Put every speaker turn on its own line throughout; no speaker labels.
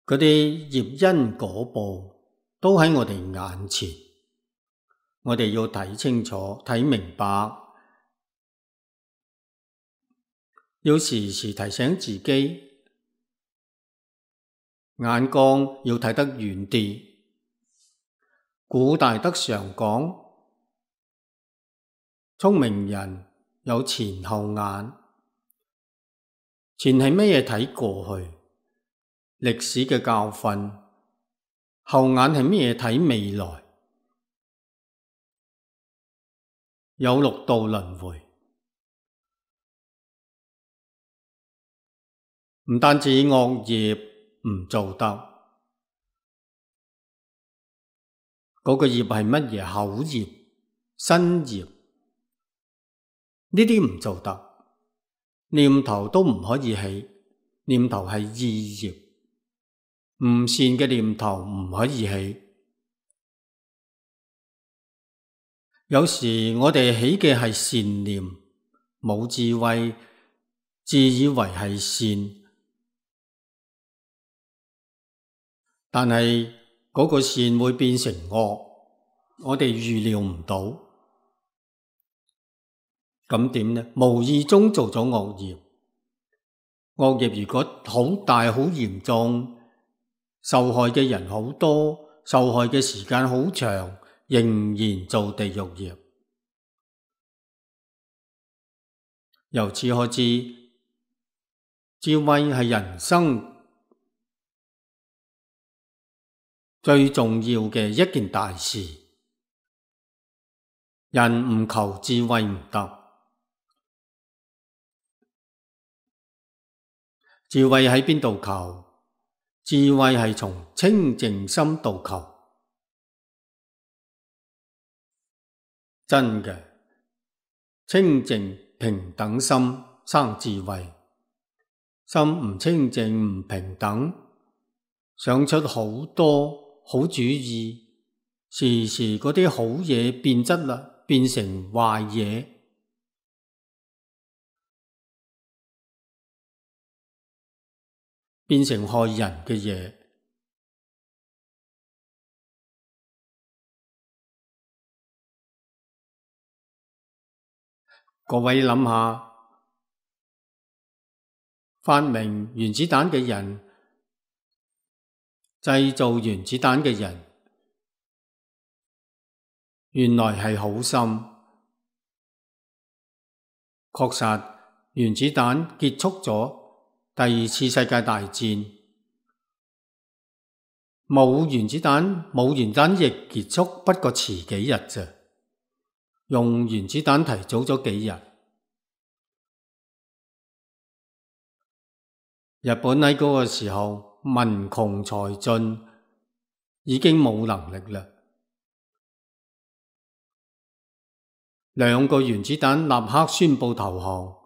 嗰啲業因果報都喺我哋眼前，我哋要睇清楚、睇明白，要時時提醒自己，眼光要睇得遠啲。古大德常講，聰明人有前後眼。前係乜嘢？睇過去歷史嘅教訓，後眼係乜嘢？睇未來，有六道輪迴。唔單止惡業唔做得，嗰個業係乜嘢？口業、身業，呢啲唔做得。念頭都唔可以起，念頭係意業，唔善嘅念頭唔可以起。有時我哋起嘅係善念，冇智慧，自以為係善，但係嗰個善會變成惡，我哋預料唔到。咁點呢？無意中做咗惡業，惡業如果好大好嚴重，受害嘅人好多，受害嘅時間好長，仍然做地獄業。由此可知，智慧係人生最重要嘅一件大事。人唔求智慧唔得。智慧喺邊度求？智慧係從清淨心度求。真嘅，清淨平等心生智慧。心唔清淨唔平等，想出好多好主意，時時嗰啲好嘢變質啦，變成壞嘢。變成害人嘅嘢。各位諗下，發明原子彈嘅人，製造原子彈嘅人，原來係好心。確實，原子彈結束咗第二次世界大戰，冇原子彈亦結束，不過遲幾日啫。用原子彈提早咗幾日。日本喺嗰個時候民窮財盡，已經冇能力啦。兩個原子彈立刻宣布投降。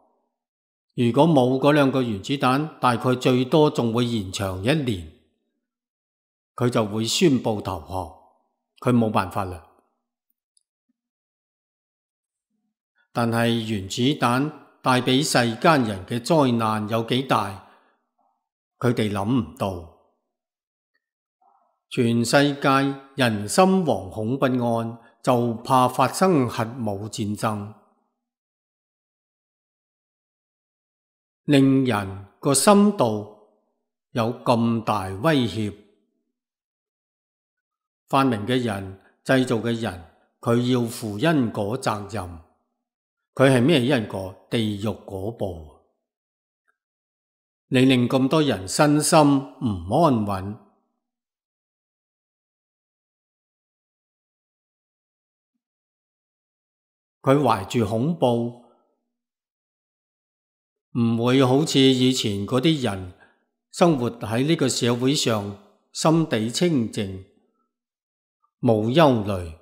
如果冇嗰兩個原子彈，大概最多仲會延長1年，佢就會宣布投降。佢冇辦法啦。但係原子彈帶俾世間人嘅災難有幾大，佢哋諗唔到。全世界人心惶恐不安，就怕發生核武戰爭，令人個深度有咁大威脅。發明嘅人、製造嘅人，佢要負因果責任。佢係咩因果？地獄果報。你令咁多人身心唔安穩。佢懷住恐怖，唔會好似以前嗰啲人生活喺呢個社會上，心地清靜，冇憂慮。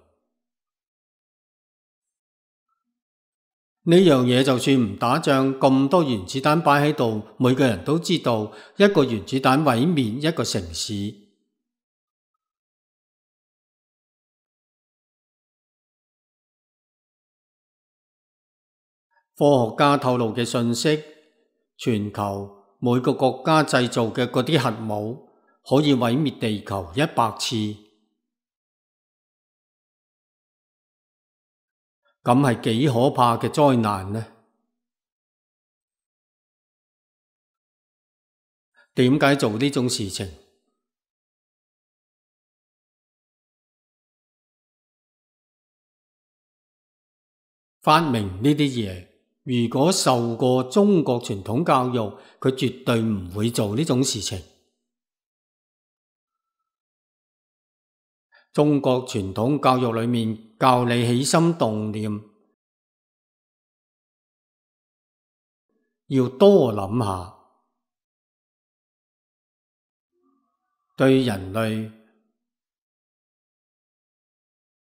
呢樣嘢就算唔打仗，咁多原子彈擺喺度，每個人都知道一個原子彈毀滅一個城市。科學家透露嘅信息，全球每個國家製造嘅嗰啲核武，可以毀滅地球100次，咁係幾可怕嘅災難呢？點解做呢種事情？發明呢啲嘢，如果受過中國傳統教育，佢絕對唔會做呢種事情。中國傳統教育裏面教你起心動念，要多諗下，對人類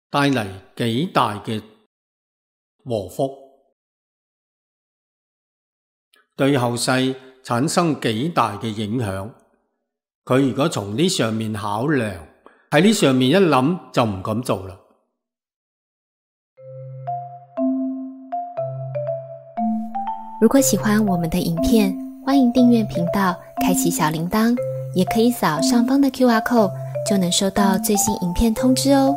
帶嚟幾大嘅禍福，對後世產生幾大嘅影響。佢如果從呢上面考量，喺呢上面一諗就唔敢做啦。
如果喜歡我們的影片，歡迎訂閱頻道，開啟小鈴鐺，也可以掃上方的QR code，就能收到最新影片通知哦。